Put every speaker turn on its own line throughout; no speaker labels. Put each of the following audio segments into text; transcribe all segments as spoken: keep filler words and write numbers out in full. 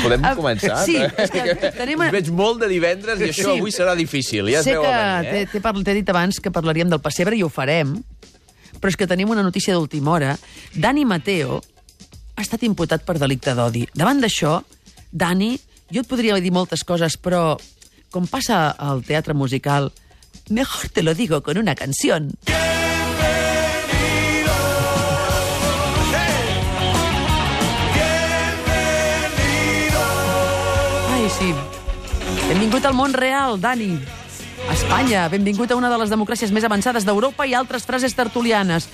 Podem començar?
Sí, és que tenim...
Us veig molt de divendres i això
Sí.
avui serà difícil. Ja es
sé
veu
que
a venir, eh?
t'he- t'he parl- t'he dit abans que parlaríem del pessebre i ho farem, però és que tenim una notícia d'última hora. Dani Mateo ha estat imputat per delicte d'odi. Davant d'això, Dani, jo et podria dir moltes coses, però com passa al teatre musical, mejor te lo digo con una canción. Ai, sí. Benvingut al món real, Dani. Espanya, benvingut a una de les democràcies més avançades d'Europa i altres frases tertulianes.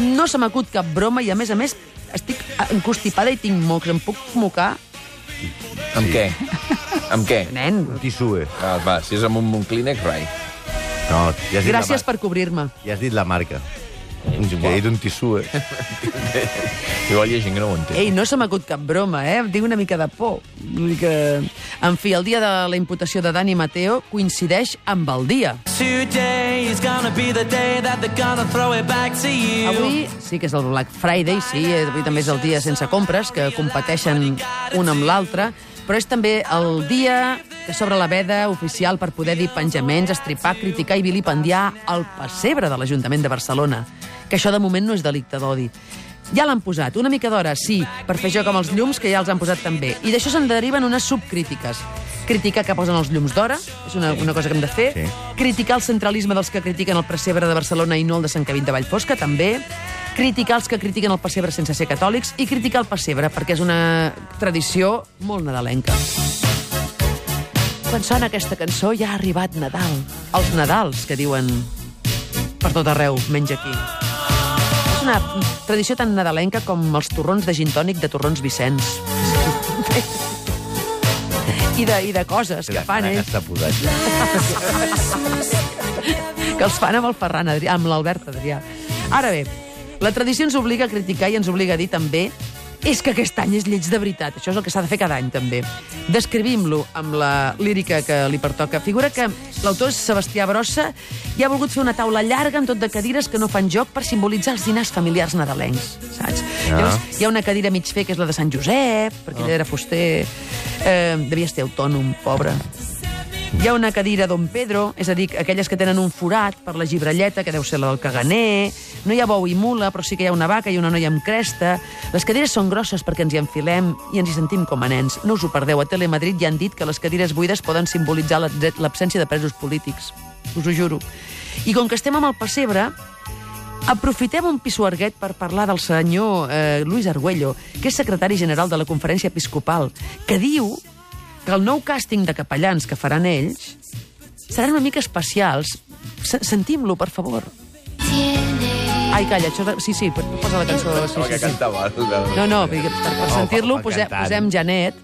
No se m'acut cap broma i, a més a més, estic encostipada i tinc mocs. Em puc mocar?
Amb què? Amb què?
Nen,
Tissue.
Ah, va, si és amb un, un clínex, rai.
No, ja has dit
gràcies
la
per cobrir-me.
Ja has dit la marca. Ja he dit un tissue.
Igual hi ha gent que no ho entén.
Ei, no se m'acut cap broma, eh? Em tinc una mica de por. Vull dir que... En fi, el dia de la imputació de Dani Mateo coincideix amb el dia.
Today is gonna be the day that they're gonna throw it back to you.
Avui sí que és el Black Friday, sí, avui també és el dia sense compres, que competeixen un amb l'altre, però és també el dia que s'obre la veda oficial per poder dir penjaments, estripar, criticar i vilipendiar el pessebre de l'Ajuntament de Barcelona, que això de moment no és delicte d'odi. Ja l'han posat, una mica d'hora, sí, per fer joc amb els llums, que ja els han posat també. I d'això se'n deriven unes subcrítiques. Criticar que posen els llums d'hora, és una, una cosa que hem de fer.
Sí.
Criticar el centralisme dels que critiquen el pessebre de Barcelona i no el de Sant Cavit de Vallfosca, també. Criticar els que critiquen el pessebre sense ser catòlics i criticar el pessebre, perquè és una tradició molt nadalenca. Quan sona aquesta cançó ja ha arribat Nadal. Els Nadals, que diuen per tot arreu, menys aquí. És una tradició tan nadalenca com els torrons de gin tònic de Torrons Vicenç. I de, i de coses que fan ells, que els fan amb el Ferran Adrià, amb l'Albert Adrià. Ara bé, la tradició ens obliga a criticar i ens obliga a dir també és que aquest any és lleig de veritat. Això és el que s'ha de fer cada any, també. Descrivim-lo amb la lírica que li pertoca. Figura que l'autor és Sebastià Brossa i ha volgut fer una taula llarga amb tot de cadires que no fan joc per simbolitzar els dinars familiars nadalencs, saps?
Ah.
Llavors, hi ha una cadira mig fer que és la de Sant Josep, perquè ell era fuster, eh, devia ser autònom, pobre. Hi ha una cadira Don Pedro, és a dir, aquelles que tenen un forat per la gibralleta, que deu ser la del caganer. No hi ha bou i mula, però sí que hi ha una vaca i una noia amb cresta. Les cadires són grosses perquè ens hi enfilem i ens hi sentim com a nens. No us ho perdeu, a Telemadrid ja han dit que les cadires buides poden simbolitzar l'absència de presos polítics. Us ho juro. I com que estem amb el pessebre, aprofitem un pisuerguet per parlar del senyor eh, Luis Argüello, que és secretari general de la Conferència Episcopal, que diu que el nou càsting de capellans que faran ells seran una mica especials. S Sentim-lo, per favor. Ai, calla, això... De... Sí, sí, posa la cançó. Sí,
No,
sí,
que
sí.
cantava.
No, no, per, per sentir-lo
va
posem,
cantant.
posem Janet.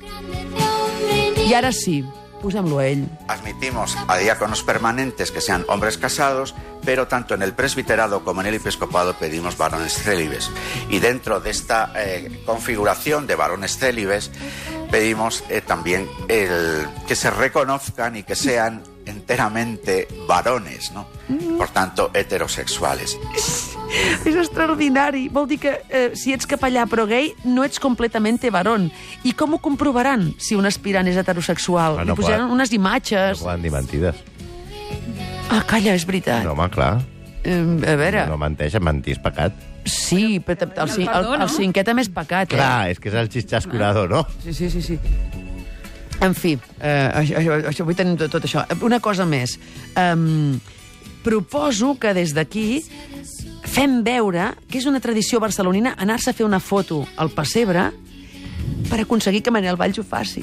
I ara sí, posem-lo a ell.
Admitimos a diáconos permanentes que sean hombres casados, pero tanto en el presbiterado como en el episcopado pedimos varones célibes. Y dentro de esta eh, configuración de varones célibes, pedimos eh, también el, que se reconozcan y que sean enteramente varones, ¿no? Por tanto, heterosexuales.
És extraordinari. Vol dir que eh, si ets capellà però gay, no ets completamente varón. I com ho comprovaran si un aspirant és heterosexual?
Ah, no
Li posaran
poden-
unes imatges.
No poden dir mentides.
Ah, calla, és veritat.
No, home, clar.
Eh, a veure,
No menteix, mentir és pecat.
sí, però el, el, el, el cinquè també és pecat, eh?
Clar, és que és el xisxascurador, no?
Sí, sí, sí, sí. En fi, eh, això, això, això, vull tenir tot, tot això. Una cosa més. Um, proposo que des d'aquí fem veure que és una tradició barcelonina anar-se a fer una foto al pessebre per aconseguir que Manel Valls ho faci.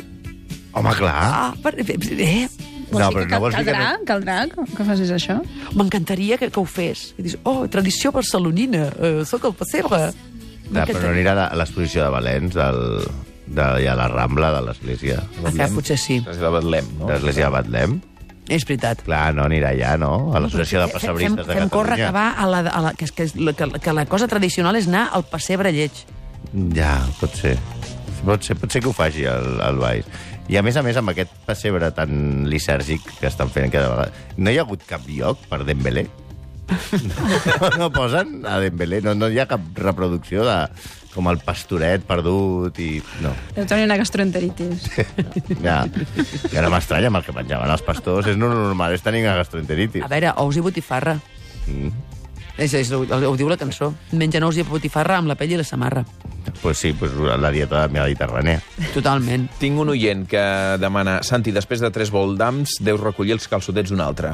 Home, clar.
Ah, per, eh,
No, però no vols dir que
caldrà,
no...
caldrà que, que facis això?
m'encantaria que, que ho fes. I dius, oh, tradició barcelonina, eh, soc al pessebre.
No, però no anirà a l'exposició de Valens, del, de, ja a la Rambla de l'església.
Ah, potser sí.
És de Betlem, no?
De l'església de Batlem.
És veritat.
Clar, no anirà allà, no? A l'associació de
Fem,
pessebristes de
fem córrer
Catalunya.
que va a la, a la, que, que, que, que la cosa tradicional és anar al pessebre lleig.
Ja, pot ser. Pot ser, pot ser que ho faci el, el Valls. I a més a més, amb aquest pessebre tan lisèrgic que estan fent cada vegada, no hi ha hagut cap lloc per Dembélé? No, no posen a Dembélé? No, no hi ha cap reproducció de... com el pastoret perdut i... No.
Deu tenir una gastroenteritis.
Ja, ja no m'estranya amb el que menjaven els pastors. És no normal, és tenir una gastroenteritis.
A veure, ous i botifarra.
Mm.
És, és, ho, ho diu la cançó. Mengen ous i botifarra amb la pell i la samarra.
Pues sí, pues la dieta mediterrània.
Totalment.
Tinc un oient que demana Santi, després de tres voldams, deus recollir els calçotets d'un altre.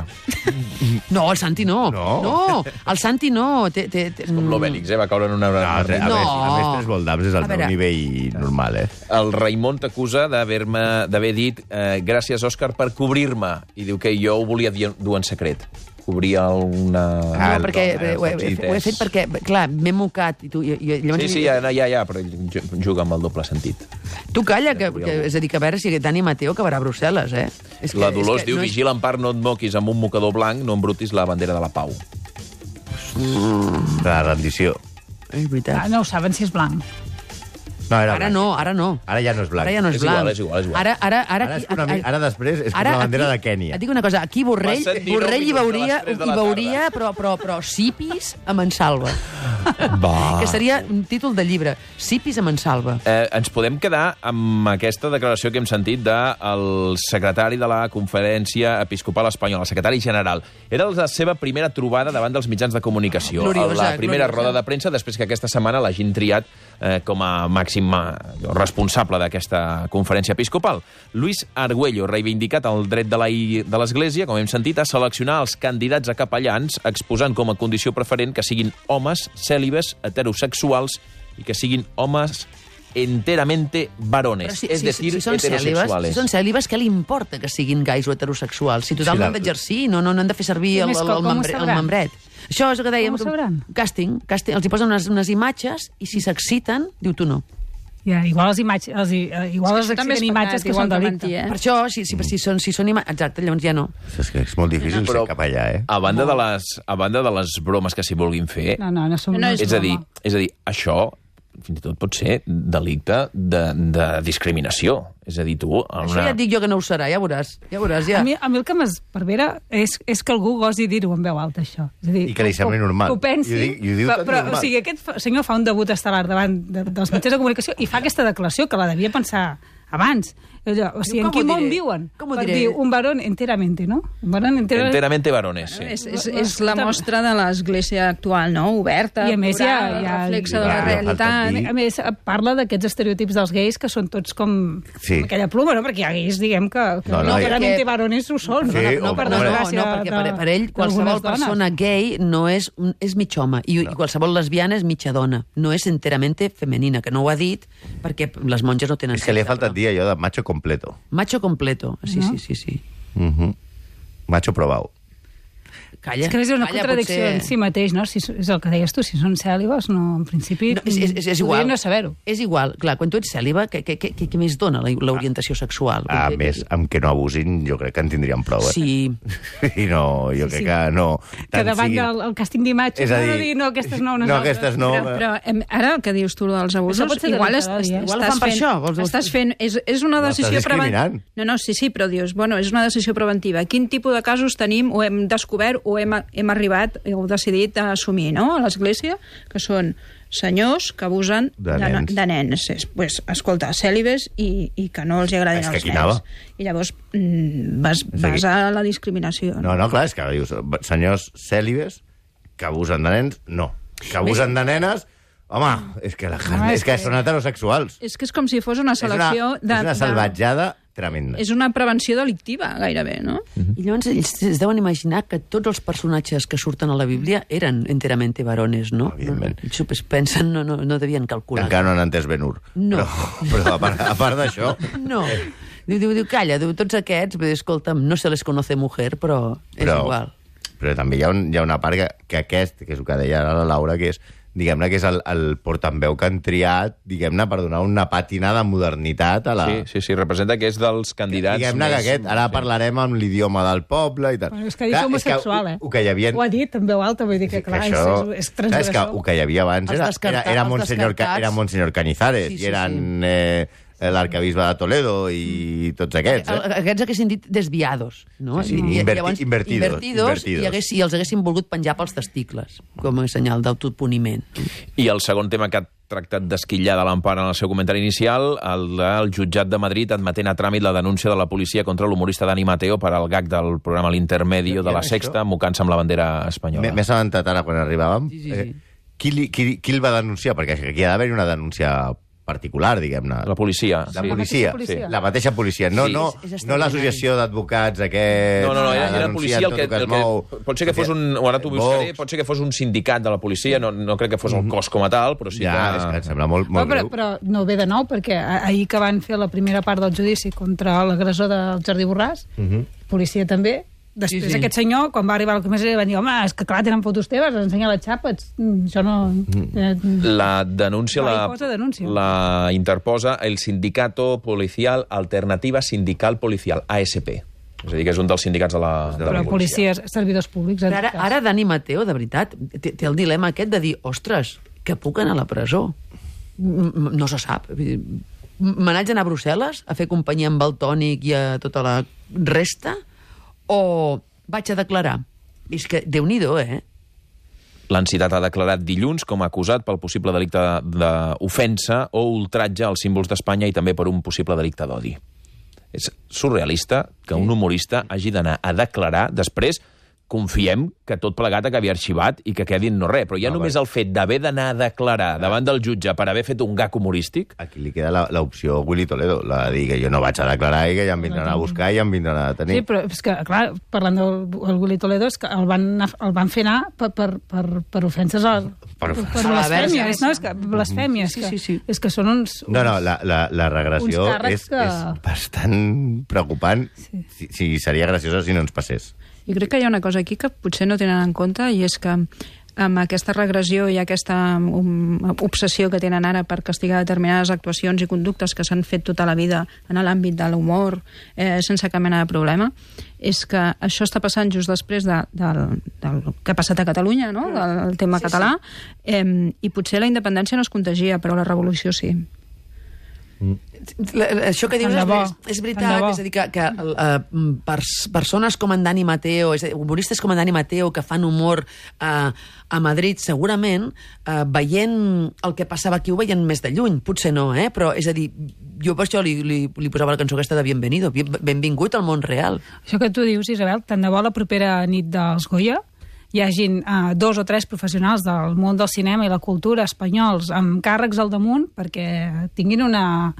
No, el Santi no.
No.
No, el Santi no. Té, té, té...
És com l'Obèlix, eh? Va caure en una...
No, a veure,
No.
a més, tres voldams és el
A veure.
meu nivell normal, eh?
El Raimon t'acusa d'haver-me d'haver dit eh, gràcies, Òscar, per cobrir-me. I diu que jo ho volia dir, dur en secret. Cobrir una...
Ah,
No, perquè
no,
ho, he,
sí,
ho he fet perquè, clar, m'he mocat. I tu, i, i, llavors,
Sí, sí, ja, ja, ja, però ell juga amb el doble sentit.
Tu calla, que, que, és a dir, que a veure si Dani Mateo acabarà a Brussel·les, eh? És
La Dolors
és que
diu,
no és-
vigila en part, no et moquis amb un mocador blanc, no embrutis la bandera de la pau.
De la rendició.
És veritat.
Ah, no ho saben si és blanc.
No, era
Ara
blanc.
no, ara no.
Ara ja no és blanc.
Ara ja no és,
És igual,
blanc.
és igual, és igual.
Ara, ara, ara,
Ara, és una, mi- ara després és com
ara
la bandera
aquí-
de Kènia.
Et dic una cosa, aquí Borrell,
Passen dinou
Borrell hi
minuts de les
veuria,
tres de
hi
la
veuria
tarda.
però, però, però Sipis a Mansalva.
Va.
Que seria un títol de llibre. Sipis a Mansalva.
Eh, ens podem quedar amb aquesta declaració que hem sentit del secretari de la Conferència Episcopal Espanyola, el secretari general. Era la seva primera trobada davant dels mitjans de comunicació.
Gloriosa,
la primera
gloriosa.
roda de premsa, després que aquesta setmana l'hagin triat eh, com a màxim eh, responsable d'aquesta conferència episcopal. Luis Argüello ha reivindicat el dret de la I- de l'Església, com hem sentit, a seleccionar els candidats a capellans, exposant com a condició preferent que siguin homes cèlibes, heterosexuals i que siguin homes enteramente varones,
Però si,
és
si,
decir,
si, són cèlibes,
heterosexuales.
si són cèlibes, què li importa que siguin gais o heterosexuals? Si total
Sí,
no
la-
han d'exercir, no, no, no han de fer servir
I
el,
més,
el,
com-
el,
com ho
membre, el
sabran?
membret. Això és el que dèiem.
Com ho sabran?
Càsting, càsting. Els hi posen unes, unes imatges i si s'exciten, diu tu no.
Ja, igual les imatges, els, eh, igual les
També és
exhibint imatges
pecat,
que
igual
són
que
delicte.
mentir, eh?
Per això, si, si, si, són, si són imatges... Exacte, llavors ja no.
És que és molt difícil
Però-
ser capellà, eh?
A banda, de les, a banda de les bromes que s'hi vulguin fer,
No, no, no som...
No, és
és, a dir,
broma.
és a dir, això fins i tot pot ser delicte de, de discriminació. És a dir, tu... En
Això ja et dic jo que no ho serà, ja veuràs. Ja veuràs, ja.
A mi, a mi el que m'esperbera és, és que algú gosi dir-ho en veu alta, això. És a dir,
I que li sembli
ho-
normal.
Que ho pensi,
I ho dic- i ho diu
però,
tot
però,
normal.
o sigui, aquest fa- senyor fa un debut estel·lar davant de, dels mitjans de comunicació i fa aquesta declaració que la devia pensar abans. O sigui,
Com
en quin
ho
món
diré?
viuen?
Com ho
Per
diré?
dir un varón enteramente, no? Un varón enteramente...
Enteramente varones, sí.
És, és, és la mostra de l'església actual, no? Oberta,
I a més hi ha,
plural,
hi ha,
reflexa de
hi
la
ha-
realitat.
dir-
A més, parla d'aquests estereotips dels gais que són tots com
Sí.
aquella pluma, no? Perquè hi ha gais, diguem, que, que
No,
no,
no,
no,
perquè-
varones ho són.
Sí,
no,
o-
per,
o-
no, no,
desgràcia
no, perquè per,
de-
per ell qualsevol
d'algunes dones.
persona gay no és, un- és mig home i, no. i qualsevol lesbiana és mitja dona. No és enteramente femenina, que no ho ha dit perquè les monges no tenen
És que li ha
sexe,
faltat
però-
dir allò de macho completo.
Macho completo, sí,
No?
sí, sí, sí.
Uh -huh. Macho probau.
Calla,
És que és una
calla,
contradicció
potser-
en si mateix, no? Si, és el que deies tu, si són cèlibes, no, en principi,
No, és, és, és, és igual.
podrien no saber-ho.
És igual. Clar, quan tu ets cèl·liba, què, què, què, què més dona la- l'orientació sexual?
A
Vull dir,
més, amb que no abusin, jo crec que en tindrien prou, eh?
Sí.
I no, jo
Sí,
crec
sí.
que no...
Que
tant
davant
siguin-
del el càsting d'imatges
És a
no, no
dir,
dir, no, aquestes no, unes
no,
altres.
aquestes no.
Però, però em, ara el que dius tu dels abusos,
Això pot ser
igual,
delicte,
est,
eh?
est,
Igual ho
estàs
fan per
fent,
això, vols dir-
estàs fent és, és una
No,
decisió
estàs discriminant.
preventiva. No, no, sí, sí, però dius, bueno, és una decisió preventiva. Quin tipus de casos tenim o hem descobert o hem, hem arribat o decidit a assumir, no?, a l'Església, que són senyors que abusen
De
de,
nens.
de nens. És, pues, escolta, cèlibes i, i que no els agradin
És que
els
aquí
nens.
anava.
I llavors mm, vas,
És a dir-
vas a la discriminació.
No, no, clar, és que dius, senyors cèlibes que abusen de nens, no. Que abusen de nenes, home, és que, la,
No,
és
és
que
que-
són heterosexuals.
És que és com si fos una
És una,
selecció de...
és una
de-
salvatjada tremenda.
És una prevenció delictiva, gairebé, no?
I llavors ells es deuen imaginar que tots els personatges que surten a la Bíblia eren enteramente varones, no?
Evidentment.
Ells es pensen, no, no, no devien calcular.
Encara no han entès Ben-Hur.
No.
Però, però a part, a part d'això...
No. Diu, diu, diu, calla, diu, tots aquests, vull dir, escolta'm, no se les conoce mujer, però és
Però-
igual.
Però també hi ha, un, hi ha una part que, que aquest, que és el que deia ara la Laura, que és, diguem-ne, que és el, el portaveu que han triat, diguem-ne, per donar una pàtina de modernitat a la...
Sí, sí, sí, representa que és dels candidats
Diguem-ne que
més-
aquest, ara
sí.
parlarem amb l'idioma del poble i tal.
Bueno, és que ha dit
Clar,
homosexual,
és
eh?
que, o que hi havia...
Ho ha dit en veu alta, vull dir que, clar,
això,
és, és, és
clar,
transgressor.
és que el que hi havia abans
Els
era,
descarta-
era, era,
els
Monsenyor, Ca-
descartats.
era Monsenyor Cañizares
Sí, sí,
i eren... Eh, l'arcabisbe de Toledo i tots aquests, eh?
Aquests haguessin dit desviados, no?
Sí, sí,
I,
inverti-
llavors,
invertidos,
invertidos,
invertidos.
I, hagués, i els haguessin volgut penjar pels testicles, com a senyal d'autopuniment.
I el segon tema que ha tractat d'esquillar de l'Empara en el seu comentari inicial, el del jutjat de Madrid admetent a tràmit la denúncia de la policia contra l'humorista Dani Mateo per al gag del programa L'Intermedio de la Sexta, mocant-se amb la bandera espanyola.
M'he assabentat ara quan arribàvem.
Sí, sí, sí.
Eh, qui, li, qui, qui el va denunciar? Perquè aquí ha d'haver una denúncia particular, diguem-ne.
La policia.
La
sí.
policia,
La policia.
la mateixa policia, no,
Sí.
no,
És- és
no l'associació d'advocats aquest...
No, no, no, era,
que
era
denuncien
policia el
tot
que,
el
el
es mou.
que... Pot ser que fos un... O ara t'ho buscaré,
Vox.
pot ser que fos un sindicat de la policia, no, no crec que fos el cos com a tal, però sí
Ja, és que
que...
em sembla molt,
No,
molt
però,
greu.
però no ve de nou, perquè a- ahir que van fer la primera part del judici contra l'agressor del Jordi Borràs, policia també, després
Sí, sí.
aquest senyor, quan va arribar a la comissaria, va dir, home, és que clar, tenen fotos teves, ensenya la xapa, ets- mm, això no... eh,
La denúncia
No,
la,
hi posa denúncia.
la interposa el Sindicato Policial Alternativa Sindical Policial, A S P. És a dir, que és un dels sindicats de la, de la
Però
policia.
policies, servidors públics... en
Però ara,
tot cas.
ara Dani Mateo, de veritat, té, té el dilema aquest de dir, ostres, que puc anar a la presó. M- m- No se sap. Vull dir, me n'haig d'anar a Brussel·les a fer companyia amb el Tònic i a tota la resta, o vaig a declarar? És que, Déu-n'hi-do, eh?
L'entitat ha declarat dilluns com a acusat pel possible delicte d'ofensa o ultratge als símbols d'Espanya i també per un possible delicte d'odi. És surrealista que un humorista hagi d'anar a declarar, després confiem que tot plegat acabi arxivat i que quedi en no res, però ja
No,
només
va.
el fet d'haver d'anar a declarar davant del jutge per haver fet un gag humorístic,
Aquí li queda la- l'opció Willy Toledo, la de dir que jo no vaig a declarar i que ja em vindran a buscar i em vindran a detenir.
Sí, però és que, clar, parlant del el Willy Toledo, és que el van, anar- el van fer anar per, per, per, per ofenses al,
Per-
per, per
A la
blasfèmies,
verge.
no? És que blasfèmies,
Sí,
que,
sí, sí.
és que són uns...
No, no,
uns-
la, la, la regressió
uns càrrecs
és,
que-
és bastant preocupant.
Sí.
Si, si seria graciosa si no ens passés.
Jo crec que hi ha una cosa aquí que potser no tenen en compte, i és que amb aquesta regressió i aquesta um, obsessió que tenen ara per castigar determinades actuacions i conductes que s'han fet tota la vida en l'àmbit de l'humor, eh, sense cap mena de problema, és que això està passant just després de, del, del que ha passat a Catalunya, no? Del tema
Sí,
català, eh, i potser la independència no es contagia, però la revolució sí.
La, la- això que dius
Tant de
és,
bo,
és, és
tant
veritat,
de bo.
és a dir, que, que uh, pers, persones com en Dani Mateo, és a dir, humoristes com en Dani Mateo, que fan humor uh, a Madrid, segurament, uh, veient el que passava aquí, ho veien més de lluny, potser no, eh? Però, és a dir, jo per això li, li, li posava la cançó aquesta de Bienvenido, Bien- benvingut al món real.
Això que tu dius, Isabel, tant de bo la propera nit dels Goya hi hagin uh, dos o tres professionals del món del cinema i la cultura espanyols amb càrrecs al damunt perquè tinguin una,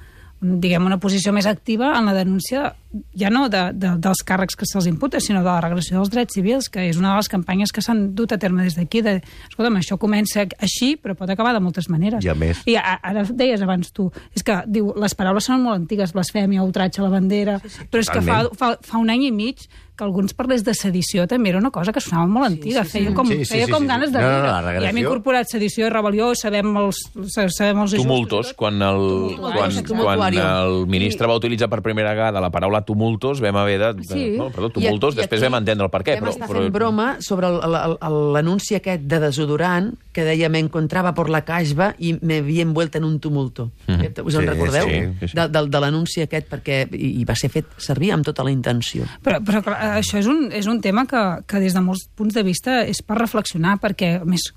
diguem, una posició més activa en la denúncia, ja no de, de, dels càrrecs que se'ls imputa, sinó de la regressió dels drets civils, que és una de les campanyes que s'han dut a terme des d'aquí. De, escolta'm, això comença així, però pot acabar de moltes maneres.
I a més-
I a, ara deies abans tu, és que diu, les paraules són molt antigues, blasfèmia, ultratge a la bandera, sí, sí, però és que fa,
totalment.
fa, fa un any i mig que alguns parlés de sedició també era una cosa que sonava molt antiga,
sí, sí.
feia com,
Sí, sí,
feia
sí,
com
sí.
ganes de
No, no, no,
riure.
la regressió-
I hem incorporat sedició i rebel·lió, sabem els, sabem els ajustos.
tumultos, quan el,
Tumultuaris,
quan,
exacte.
quan
Tumultuario.
el ministre va utilitzar per primera vegada la paraula tumultos, vam haver de...
Sí.
No, perdó, tumultos,
I- i
després
aquí
vam entendre el per què.
Vam
Però,
estar
però...
fent broma sobre el- el- el- l'anunci aquest de desodorant que deia me encontraba por la casba i me havia envuelta en un tumulto. Mm. Us en
Sí,
recordeu?
sí,
sí, sí.
De, de, de l'anunci aquest, perquè i, i va ser fet servir amb tota la intenció.
Però, però clar, això és un, és un tema que, que des de molts punts de vista és per reflexionar, perquè a més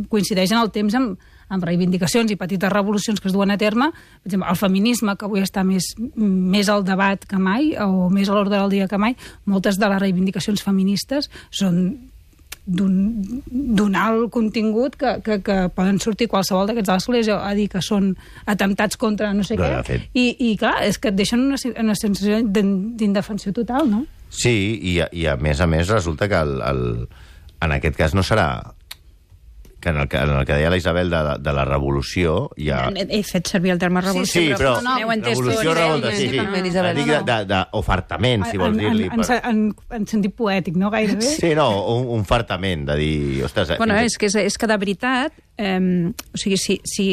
coincideix en el temps amb, amb reivindicacions i petites revolucions que es duen a terme. Per exemple, el feminisme, que avui està més, més al debat que mai, o més a l'ordre del dia que mai, moltes de les reivindicacions feministes són d'un d'un alt contingut que, que, que poden sortir qualsevol d'aquests de l'església a dir que són atemptats contra no sé
No,
què.
de fet.
I, I clar, és que et deixen una, una sensació d'in- d'indefensió total, no?
Sí, i, a- i a més a més resulta que el, el, en aquest cas no serà que en el que, en el que deia la Isabel de, de, de la revolució hi ha...
He, he fet servir el terme revolució,
Sí, però
no, no, entès
revolució,
tot.
revolta, sí, sí.
Totalment, Isabel,
Dic
no,
de- de- d'ofertament, si vols
en,
dir-li.
en, en, en, en sentit poètic, no gairebé?
Sí, no, un, un fartament de dir... Ostres,
Bueno,
fins-
és que, és, és que de veritat, eh, o sigui, si, si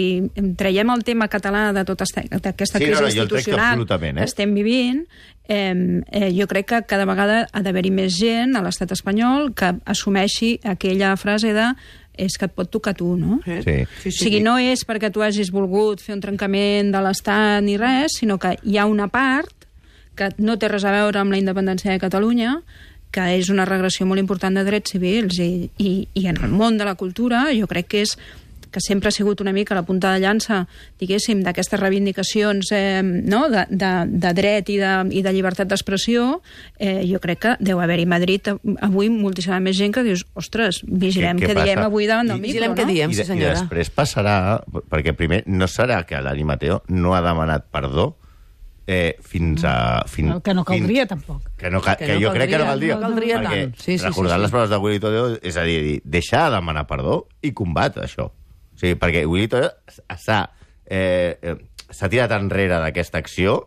traiem el tema català de tota esta- d'aquesta
Sí,
crisi
no, no, jo el trec
institucional
absolutament, eh?
que estem vivint, eh, eh, jo crec que cada vegada ha d'haver-hi més gent a l'estat espanyol que assumeixi aquella frase de és que et pot tocar tu, no?
Sí.
Sí,
O sigui, no és perquè tu hagis volgut fer un trencament de l'Estat ni res, sinó que hi ha una part que no té res a veure amb la independència de Catalunya, que és una regressió molt important de drets civils, i, i, i en el món de la cultura jo crec que és que sempre ha sigut una mica la punta de llança, diguéssim, d'aquestes reivindicacions eh, no? de, de, de dret i de, i de llibertat d'expressió, eh, jo crec que deu haver-hi a Madrid avui moltíssima més gent que dius, ostres, vigilem què, què diem avui davant del
I,
micro,
vigilem
no?
què diem,
I,
sí
de, I
senyora.
després passarà, perquè primer no serà que l'Ani Mateo no ha demanat perdó eh, fins a... Fin,
El que no caldria,
fin,
tampoc.
Que, no, que,
Que
que
no
jo crec que no
caldria,
caldria.
no caldria
perquè,
tant. Sí, sí,
recordant
sí, sí.
les paraules de Willy Toledo, és a dir, deixar de demanar perdó i combat això. O sigui, perquè Willy Toledo s'ha eh, eh, s'ha tirat enrere d'aquesta acció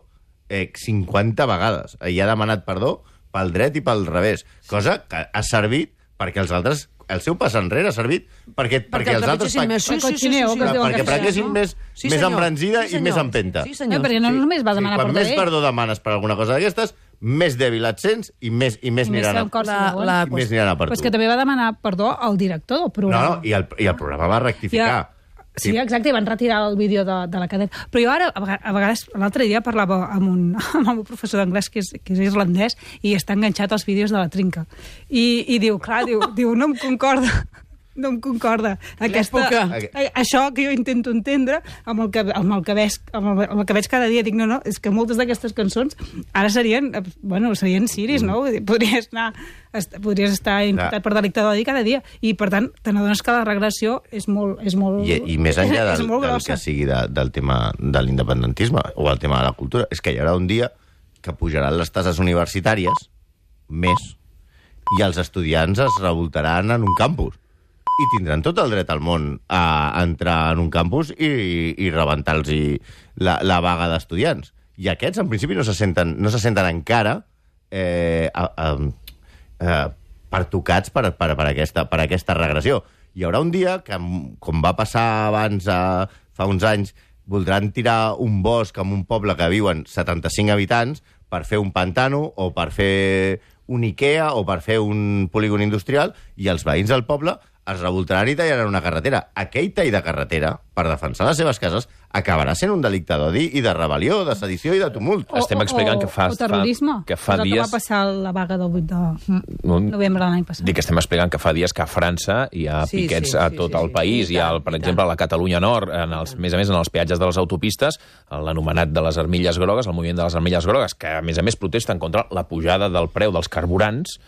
eh, cinquanta vegades. I ha demanat perdó pel dret i pel revés. Cosa que ha servit perquè els altres... El seu pas enrere ha servit perquè, perquè, perquè els altres...
trepitgessin més. Sí, sí, sí, sí, sí,
que es diuen
perquè
que
prenguessin
no?
més,
Sí,
més
senyor.
embranzida
Sí,
i més
senyor.
empenta.
Sí,
No,
senyor.
perquè no només va demanar
Quan
perdó
més
ell.
perdó demanes per alguna cosa d'aquestes, més dèbil et sents i més, i més
I més
aniran a,
se'n costa,
La-
veuen.
la-
i més aniran a per
Però és
tu.
que també va demanar perdó al director del
No,
programa.
no, i el, i el programa va rectificar.
Ja. Sí, exacte, i van retirar el vídeo de, de la cadena. Però jo ara, a vega- a vegades, l'altre dia parlava amb, un, amb el meu professor d'anglès, que, és, que és irlandès, i està enganxat als vídeos de la trinca. I, i diu, clar, diu, diu, no em concorda, no em concorda aquesta,
L'època.
a, això que jo intento entendre amb el que, amb el que, veig, amb el, amb el que veig cada dia. Dic, no, no, és que moltes d'aquestes cançons ara serien, eh, bueno, serien ciris, no? Vull dir, podries anar... Est, podries estar imputat per delicte d'odi cada dia, i per tant te n'adones que la regressió és molt, és molt,
I, I més enllà
és
del,
molt
del
grossa.
que sigui de, del tema de l'independentisme o el tema de la cultura, és que hi haurà un dia que pujaran les tases universitàries més i els estudiants es revoltaran en un campus i tindran tot el dret al món a entrar en un campus i, i rebentar-los la, la vaga d'estudiants. I aquests, en principi, no se senten, no se senten encara eh, a, a, eh, pertocats per, per, per, aquesta, per aquesta regressió. Hi haurà un dia que, com va passar abans, eh, fa uns anys, voldran tirar un bosc en un poble que viuen setanta-cinc habitants per fer un pantano o per fer un Ikea o per fer un polígon industrial, i els veïns del poble es revoltaran i tallaran una carretera. Aquell tall de carretera, per defensar les seves cases, acabarà sent un delicte d'odi i de rebel·lió, de sedició i de tumult.
O,
Estem explicant
o,
que fa-
o terrorisme,
fa- que fa
és el
dies-
que va passar a la vaga del vuit de
Un-
novembre de l'any passat.
Dic que estem explicant que fa dies que a França hi ha
Sí,
piquets
sí,
a
sí,
tot
sí,
el
sí.
país.
I
Hi ha,
tant,
el, per
i
exemple,
tant.
a la Catalunya Nord, en els, a més a més, en els peatges de les autopistes, l'anomenat de les armilles grogues, el moviment de les armilles grogues, que a més a més protesten contra la pujada del preu dels carburants,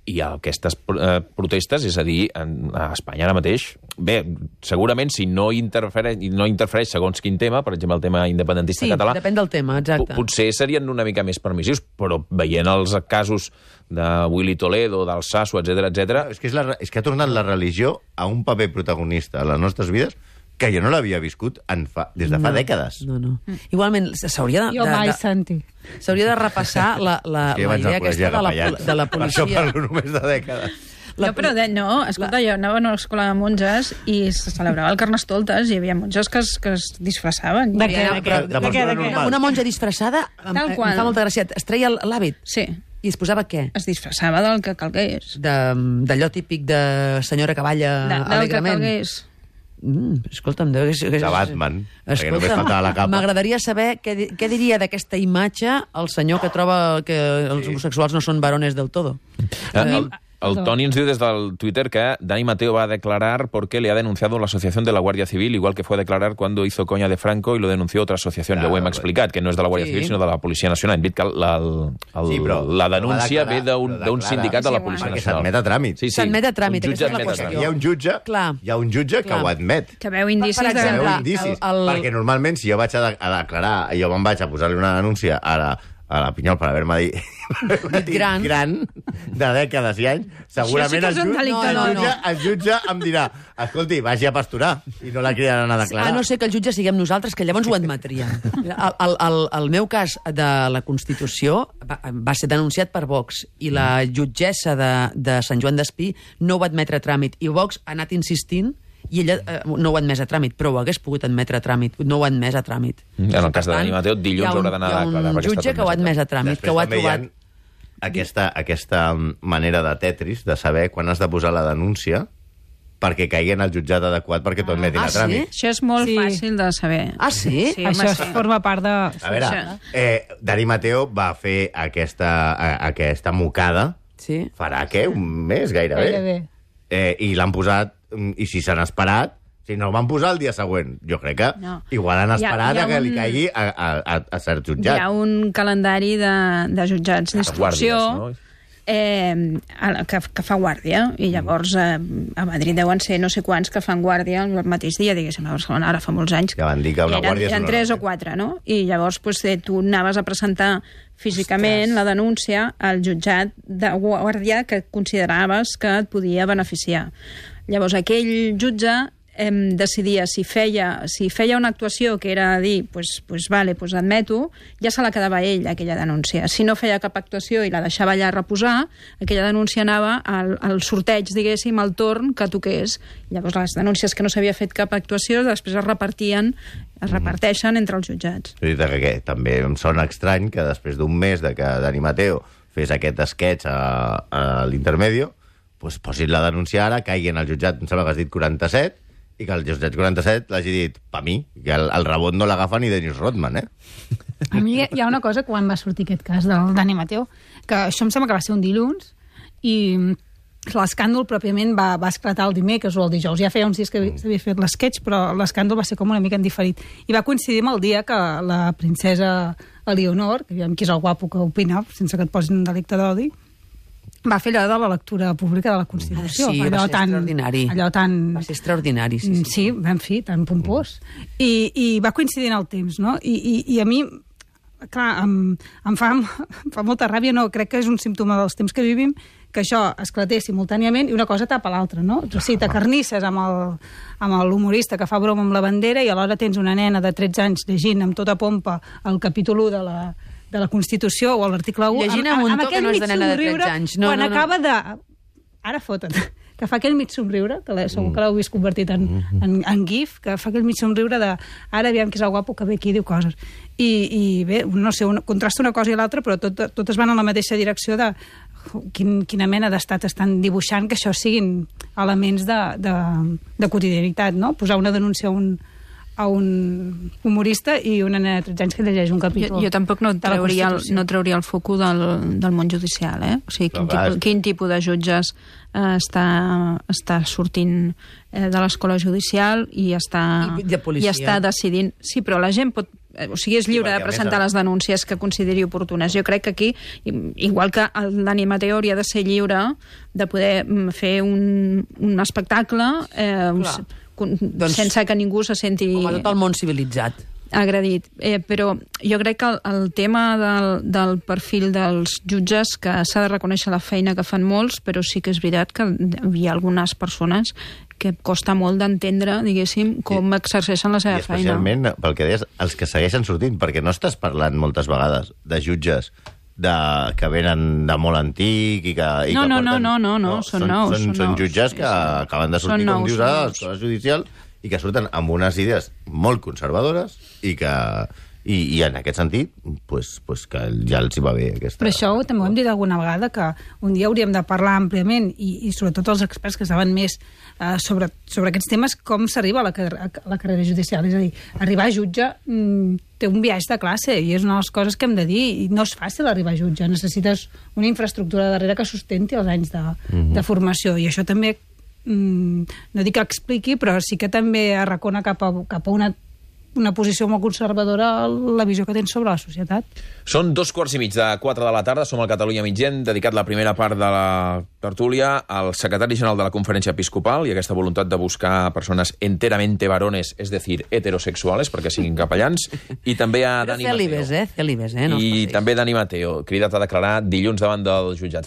i aquestes eh, protestes, és a dir, en, a Espanya ara mateix, bé, segurament si no interfereix, no interfereix segons quin tema, per exemple el tema independentista
Sí,
català,
depèn del tema, exacte.
po- potser serien una mica més permissius, però veient els casos de Willy Toledo, del Sasso, etcètera, etcètera,
És que, és, la, és que ha tornat la religió a un paper protagonista a les nostres vides que jo no l'havia viscut en fa, des de fa
No,
dècades.
No, no. Igualment, s'hauria de,
Jo mai,
de, de,
Santi.
s'hauria de repassar la, la,
És que jo
la
vaig
idea
al col·legi
aquesta de la,
capellans.
de la
Per això
policia.
parlo només de dècades.
La-
no, però de, no, escolta, jo anava a una escola de monges i se celebrava el Carnestoltes i hi havia monges que es, que es disfressaven.
De
Hi
què,
havia-
de què?
de
De què,
persona
de què?
normal.
Una monja disfressada, em,
Tal
em
qual.
fa molta gràcia, es treia l'hàbit
Sí,
i es posava què?
es disfressava del que calgués.
De- D'allò típic de senyora que balla
De, del que
alegrement.
calgués.
Mm, escolta'm, deu...
De Batman, perquè només faltava la capa.
M'agradaria saber què, di- què diria d'aquesta imatge el senyor que troba que els homosexuals no són varones del todo.
Eh, El, el Toni ens diu des del Twitter que Dani Mateo va a declarar porque le ha denunciado la Asociación de la Guardia Civil, igual que fue a declarar cuando hizo coña de Franco y lo denunció otra asociación.
Claro,
ja ho hem explicat, que no és de la Guàrdia
Sí.
Civil, sinó de la Policia Nacional. Hem dit que la, el, el,
Sí, però
la
va
denúncia
declarar,
ve d'un
però
d'un
declara.
sindicat de la
Sí,
Policia
Perquè
Nacional.
s'admet a tràmit.
Sí, sí.
S'admet a tràmit,
Un
aquesta
jutge
és la
admet a
qüestió.
tràmit.
Hi ha un jutge,
Clar.
hi ha un jutge
Clar.
que ho admet.
Que veu indicis
Per
Que
exemple,
veu
de...
indicis.
el- el-
Perquè normalment, si jo vaig a, de, a declarar, jo me'n vaig a posar-li una denúncia a la, a la Pinyol per haver-me dit,
Dit gran.
gran de dècades i anys, segurament
que
el,
és un
jutge,
delicte
el,
d'odi.
jutge, el jutge em dirà escolti, vagi a pasturar, i no la cridaran a declarar.
A no ser que el jutge siguem nosaltres, que llavors ho admetríem. El, el, el, el meu cas de la Constitució va, va ser denunciat per Vox i la jutgessa de, de Sant Joan d'Espí no ho va admetre a tràmit. I Vox ha anat insistint i ella eh, no ho ha admès a tràmit, però ho hagués pogut admetre a tràmit. No ho ha admès a tràmit.
En el cas de
Per tant,
Dani Mateo, dilluns
hi ha un-
haurà d'anar a
Hi ha
declarar,
un
perquè està
jutge
tot
que ho ha admès a tràmit,
Després
que ho ha
també hi ha
trobat...
aquesta, aquesta manera de Tetris de saber quan has de posar la denúncia, perquè caigui en el jutjat adequat perquè tot metin
Ah,
a tràmit.
sí?
Això és molt
Sí.
fàcil de saber.
Ah, sí?
Sí,
Això
home,
sí.
sí.
forma part de...
A veure,
Això.
eh, Dani Mateo va fer aquesta, a, aquesta mocada
Sí.
farà, què, un mes gairebé.
Gairebé.
Eh, I l'han posat, i si s'han esperat, si no el van posar el dia següent, jo crec que
No.
igual han
Hi ha-
esperat
hi ha
a que li
un-
caigui a, a, a, a cert
Hi
jutjat.
ha un calendari de, de jutjats d'instrucció
guàrdies, no?
eh, a- que, que fa guàrdia, i llavors eh, a Madrid deuen ser no sé quants que fan guàrdia el mateix dia, diguéssim, a Barcelona ara fa molts anys.
Ja van dir que una
eren,
guàrdia és
eren
una
tres
hora.
o quatre, no? I llavors pues, eh, tu anaves a presentar físicament
Ostres.
la denúncia al jutjat de guàrdia que consideraves que et podia beneficiar. Llavors aquell jutge em decidia si feia, si feia una actuació que era dir, pues, pues vale, pues admeto, ja se la quedava ell, aquella denúncia. Si no feia cap actuació i la deixava allà reposar, aquella denúncia anava al, al sorteig, diguéssim, al torn que toqués. Llavors les denúncies que no s'havia fet cap actuació després es repartien, es reparteixen entre els jutjats.
És veritat que, que també em sona estrany que després d'un mes de que Dani Mateo fes aquest sketch a, a l'Intermedio, pues, posin la denúncia ara, caigui en el jutjat, em sembla que has dit quaranta-set, i que el jutjat quaranta-set l'hagi dit pa mi, que el, el rebot no l'agafa ni Dennis Rodman, eh?
A mi hi ha una cosa quan va sortir aquest cas del Dani Mateo, que això em sembla que va ser un dilluns, i l'escàndol pròpiament va, va esclatar el dimecres o el dijous. Ja feia uns dies que s'havia fet l'esquetx, però l'escàndol va ser com una mica en diferit. I va coincidir amb el dia que la princesa Eleonor, que aviam qui és el guapo que opina, sense que et posin un delicte d'odi, va fer allò de la lectura pública de la Constitució.
Sí, va
allò
ser
tan,
extraordinari.
Allò tan...
Va ser extraordinari, sí. sí.
Sí, en fi, tan pompós. I, i va coincidir en el temps, no? I, i, i a mi, clar, em, em, fa, em fa molta ràbia, no? Crec que és un símptoma dels temps que vivim, que això esclatés simultàniament i una cosa tapa l'altra, no? O sigui, t'acarnisses amb el, amb l'humorista que fa broma amb la bandera i alhora tens una nena de tretze anys llegint amb tota pompa el capítol u de la, de la Constitució o l'article u,
Llegint amb un to que no és de nena de tretze anys. No,
quan
no, no.
acaba de... Ara fota't, que fa aquell mig somriure, que la, segur que l'heu vist convertit en, en, en gif, que fa aquell mig somriure de ara aviam que és el guapo que ve aquí i diu coses. I, i bé, no sé, un, contrasta una cosa i l'altra, però tot, totes van en la mateixa direcció de quin, quina mena d'estat estan dibuixant que això siguin elements de, de, de quotidianitat, no? Posar una denúncia a un, a un humorista i una nena de tretze anys que llegeix un capítol.
Jo, jo tampoc no
de la
trauria, el,
Constitució.
no trauria el foco del, del món judicial, eh? O sigui, quin,
Però, clar,
tipus, quin tipus de jutges eh, està, està sortint eh, de l'escola judicial i està,
I de policia.
i està decidint... Sí, però la gent pot... eh, O sigui, és lliure
perquè,
de
a
presentar
més,
les denúncies que consideri oportunes. Jo crec que aquí, i- igual que el Dani Mateo hauria de ser lliure de poder mm, fer un, un espectacle eh,
Clar.
con-
Doncs-
sense que ningú se senti
Com a tot el món civilitzat.
agredit. Eh, però jo crec que el, el tema del, del perfil dels jutges, que s'ha de reconèixer la feina que fan molts, però sí que és veritat que hi ha algunes persones que costa molt d'entendre, diguéssim, com exerceixen la
I
seva feina.
especialment, pel que deies, els que segueixen sortint, perquè no estàs parlant moltes vegades de jutges de, que venen de molt antic i que, i
No,
que
no,
porten...
no, no, no, són nous,
Són,
són
són
nous.
jutges que acaben de sortir,
Són
com
nous,
dius
són
ara, de
nous.
l'escola judicial i que surten amb unes idees molt conservadores i que... I, i en aquest sentit, pues, pues que ja els hi va bé aquesta...
Però això també ho hem dit alguna vegada, que un dia hauríem de parlar àmpliament, i, i sobretot els experts que saben més eh, sobre, sobre aquests temes, com s'arriba a, la car- a la carrera judicial. És a dir, arribar a jutge mm, té un viatge de classe, i és una de les coses que hem de dir, i no és fàcil arribar a jutge. Necessites una infraestructura darrere que sustenti els anys de,
Mhm.
de formació, i això també, mm, no dic que expliqui, però sí que també arracona cap a, cap a una una posició molt conservadora la visió que tens sobre la societat.
Són dos quarts i mig de quatre de la tarda, som al Catalunya Mitgent, dedicat la primera part de la tertúlia al secretari general de la Conferència Episcopal i aquesta voluntat de buscar persones enteramente varones, és decir, heterosexuales, perquè siguin capellans, i també a
Però
Dani Mateo.
cèlibes, eh? Cèlibes, eh? No
I
es
també Dani Mateo, cridat a declarar dilluns davant del jutjat.